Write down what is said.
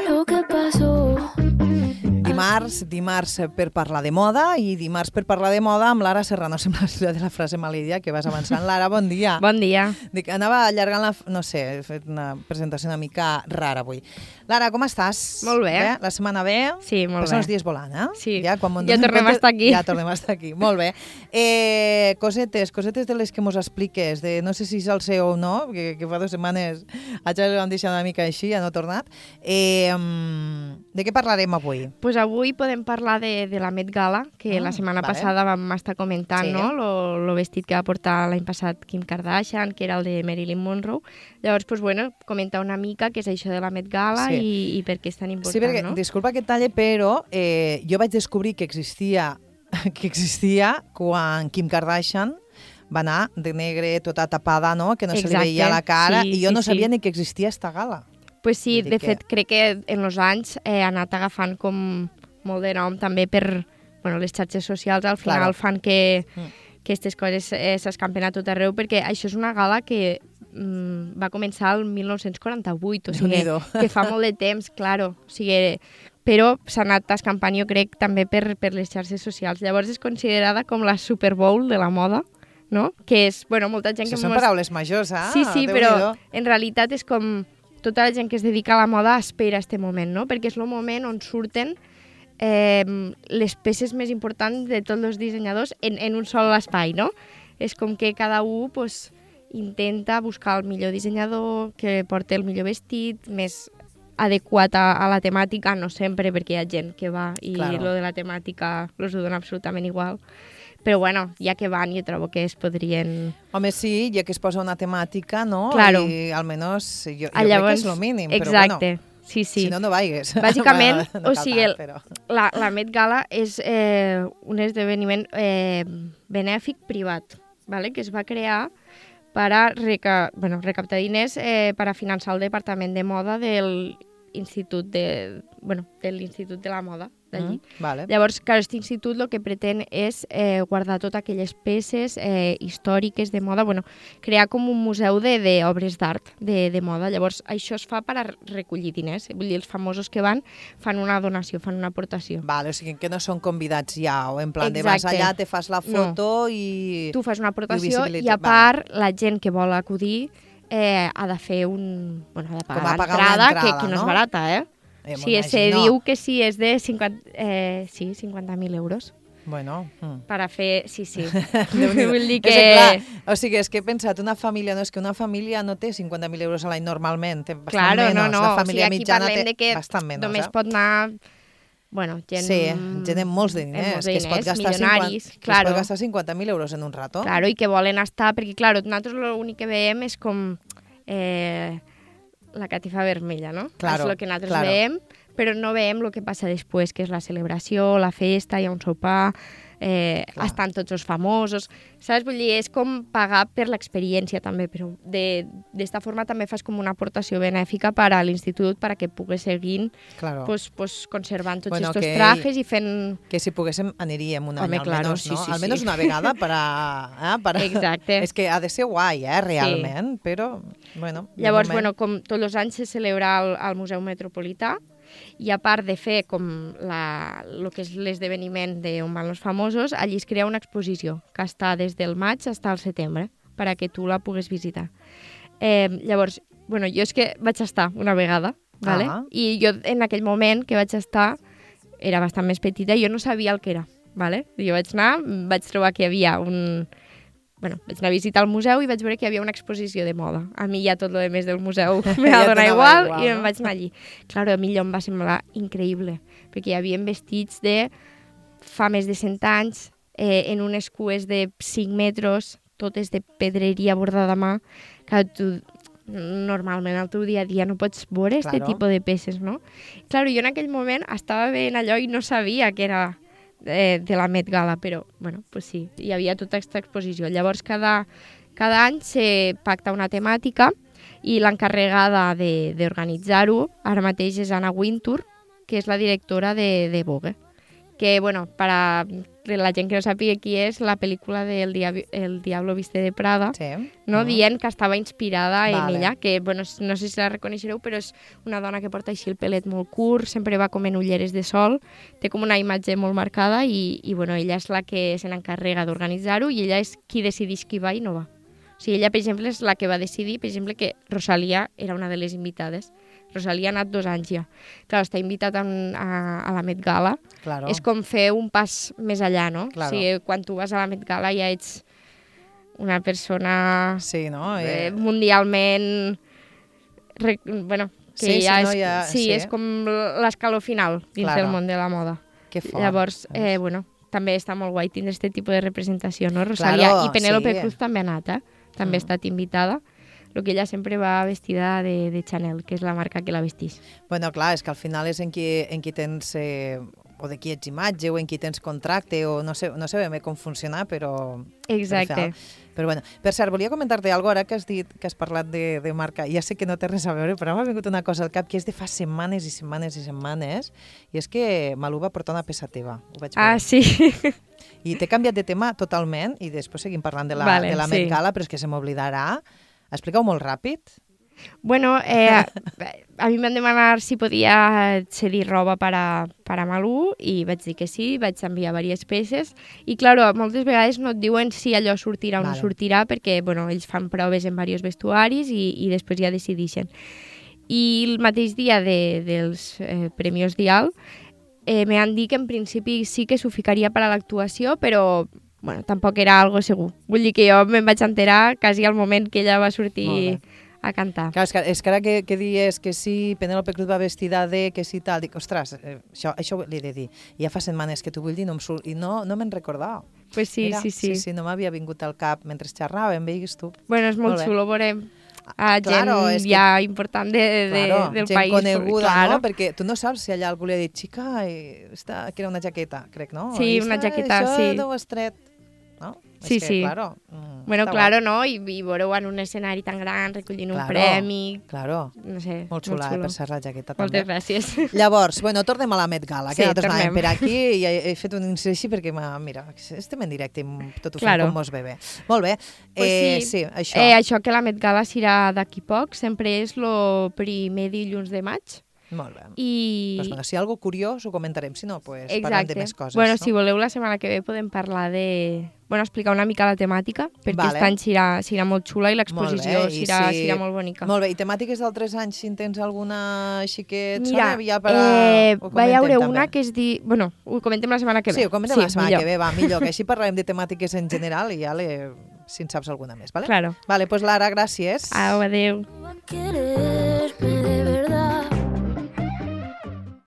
Lo que pasó. Dimarts per parlar de moda i dimarts per parlar de moda amb Lara Serrano. Sembla de la frase malidia que vas avançant. Lara, bon dia. Bon dia. Dic, anava allargant no sé, he fet una presentació una mica rara avui. Lara, com estàs? Molt bé. La setmana bé? Sí, molt Passen bé. els dies volant, eh? Sí. Ja tornem a estar aquí. Ja tornem a estar aquí, molt bé. Cosetes de les que mos expliques, de no sé si és el seu o no, que fa 2 setmanes ja l'hem deixat una mica així, ja no ha tornat. De què parlarem avui? Pues avui podem parlar de la Met Gala, que la setmana passada vam estar comentant, Sí. no? Lo vestit que va portar l'any passat Kim Kardashian, que era el de Marilyn Monroe. Llavors, pues bueno, comentar una mica què és això de la Met Gala i per què és tan important, sí, perquè, no? disculpa que et talle, però jo vaig descobrir que existia quan Kim Kardashian va anar de negre, tota tapada, no? Que no se li veia la cara, i jo no sabia ni que existia esta gala. Pues sí, de fet, crec que en els anys ha anat agafant com molt de nom també per les xarxes socials, al final fan que aquestes coses s'escampen a tot arreu, perquè això és una gala que va començar el 1948, o sigui, que fa molt de temps, claro, o sigui, però s'ha anat escampant, jo crec, també per les xarxes socials. Llavors és considerada com la Super Bowl de la moda, no? Que és, molta gent que... Això són paraules majors, eh? Sí, però en realitat és com tota la gent que es dedica a la moda espera este moment, no? Perquè és el moment on surten les peces més importants de tots els dissenyadors en un sol espai, no? És com que cada un intenta buscar el millor dissenyador, que porti el millor vestit, més adequat a la temàtica, no sempre, perquè hi ha gent que va i lo de la temàtica els ho dona absolutament igual. Però ja que van, jo trobo que es podrien... Home, sí, ja que es posa una temàtica, no? Claro. I almenys jo crec que és el mínim, exacte. però bueno, sí. Si no vaigues. Bàsicament, no o sigui, però... la Met Gala és un esdeveniment benèfic privat, ¿vale? Que es va crear per a recaptar diners per a finançar el departament de moda de l'Institut de la Moda d'allí. Vale. Llavors, aquest institut el que pretén és guardar totes aquelles peces històriques de moda, crear com un museu d'obres d'art de moda. Llavors, això es fa per a recollir diners. Vull dir, els famosos que van fan una donació, fan una aportació. Vale, o sigui que no són convidats ja, o en plan de vas allà, te fas la foto i... Tu fas una aportació i a part la gent que vol acudir ha de fer ha de pagar l'entrada, que no és barata, Sí, se diu que sí, és de 50.000 euros. Bueno. Per a fer... Sí. Vull dir que... Clar, o sigui, és que he pensat, una família no té 50.000 euros a l'any normalment, té bastant menys. La família mitjana té bastant menys. Només pot anar... gent... Sí, gent amb molts diners, que es pot gastar 50.000 euros en un rato. Claro, i que volen estar... Perquè, clar, nosaltres l'únic que veiem és com... la catifa vermella, no? Claro, és el que nosaltres veiem, però no veiem el que passa després, que és la celebració, la festa, hi ha un sopar, estan tots els famosos, saps? Vull dir, és com pagar per l'experiència també, però d'esta forma també fas com una aportació benèfica per a l'institut perquè pugues seguir conservant tots estos trajes i fent... Que si poguéssim aniríem un any almenys, no? Sí. Almenys una vegada Exacte. És que ha de ser guai, realment, però, bueno... Llavors, com tots els anys se celebra al Museu Metropolità, i a part de fer com el que és l'esdeveniment d'on van els famosos, allí es crea una exposició que està des del maig fins al setembre perquè tu la puguis visitar. Llavors, jo és que vaig estar una vegada, ¿vale? I jo en aquell moment que vaig estar era bastant més petita i jo no sabia el que era. ¿Vale? Jo vaig anar, vaig trobar que hi havia vaig anar a visitar el museu i vaig veure que hi havia una exposició de moda. A mi ja tot el més del museu m'ha donat igual i em vaig anar allí. Clar, a mi allò em va semblar increïble, perquè hi havia vestits de fa més de 100 anys, en unes cues de 5 metres, totes de pedreria bordada a mà, que tu normalment al teu dia a dia no pots veure aquest tipus de peces, no? Clar, jo en aquell moment estava veient allò i no sabia que era de la Met Gala, però, pues sí, hi havia tota aquesta exposició. Llavors, cada any se pacta una temàtica i l'encarregada d'organitzar-ho ara mateix és Anna Wintour, que és la directora de Vogue, que, bueno, para la gent que no sàpiga qui és, la pel·lícula del El Diablo Viste de Prada, no? Dient que estava inspirada en ella, que, bueno, no sé si la reconeixereu, però és una dona que porta així el pelet molt curt, sempre va com en ulleres de sol, té com una imatge molt marcada i bueno, ella és la que se n'encarrega d'organitzar-ho i ella és qui decideix qui va i no va. O sigui, ella, per exemple, és la que va decidir, per exemple, que Rosalía era una de les invitades. Rosalía ha anat 2 anys ja. Clar, està invitat a la Met Gala. Claro. És com fer un pas més allà, no? Claro. O sigui, quan tu vas a la Met Gala ja ets una persona mundialment... bueno, que és com l'escaló final dins del món de la moda. Que fort. Llavors, bueno, també està molt guai tindre aquest tipus de representació, no? Rosalía i Penélope Cruz també ha anat, també ha estat invitada. El que ella sempre va vestida de Chanel, que és la marca que la vestís. Bueno, clar, és que al final és en qui tens, o de qui ets imatge, o en qui tens contracte, o no sé ben bé com funciona, però... Exacte. Però bueno, per cert, volia comentar-te alguna cosa, ara que has dit que has parlat de marca, ja sé que no té res a veure, però m'ha vingut una cosa al cap que és de fa setmanes i setmanes i setmanes, i és que Malú va portar una peça teva. Ho vaig veure. Sí. I t'he canviat de tema totalment, i després seguim parlant de la Met Gala, però és que se m'oblidarà. Explica-ho molt ràpid. Bueno, a mi m'han demanat si podia cedir roba per a Malú i vaig dir que sí, vaig enviar diverses peces i, clar, moltes vegades no et diuen si allò sortirà o no sortirà perquè, bueno, ells fan proves en diversos vestuaris i després ja decideixen. I el mateix dia dels Premios Dial m'han dit que en principi sí que s'ho ficaria per a l'actuació, però bueno, tampoc era algo segur. Vull dir que jo me'n vaig enterar quasi al moment que ella va sortir a cantar. Clar, és que ara que dius que sí, Penélope Cruz va vestida de, que sí tal, dic, ostres, això li he de dir. Ja fa setmanes que t'ho vull dir i no me'n recordava. Pues sí, sí. Sí, no m'havia vingut al cap mentre xerràvem, veigues tu. Bueno, és molt xulo, veurem gent ja important del país. Gent coneguda, no? Perquè tu no saps si allà algú li ha dit, xica, que era una jaqueta, crec, no? Sí, una jaqueta, sí. Això deu estret. No? Sí, és que, sí. Claro, bueno, claro, no? I veureu en un escenari tan gran recollint un premi. Claro, no sé, molt xula, per ser la jaqueta també. Moltes gràcies. Llavors, bueno, tornem a la Met Gala, que nosaltres tornem anàvem per aquí i he fet un incís així perquè, mira, estem en directe i tot ho fem com mos ve bé. Molt bé, sí, això. Això que la Met Gala serà d'aquí poc, sempre és el primer dilluns de maig. Molt bé. I... Doncs, si hi ha alguna curiós ho comentarem, si no, parlem de més coses. Bueno, no? si voleu, la setmana que ve podem parlar de... Bueno, explicar una mica la temàtica, perquè aquest any serà molt xula i l'exposició serà molt bonica. Molt bé, i temàtiques d'altres anys, si en tens alguna així que et sona, va hi haure una que es diu... Bueno, ho comentem la setmana que ve. Sí, ho comentem la setmana que ve, va, millor, que així parlarem de temàtiques en general i ja si en saps alguna més, vale? Claro. Vale, doncs Lara, gràcies. Au, adéu.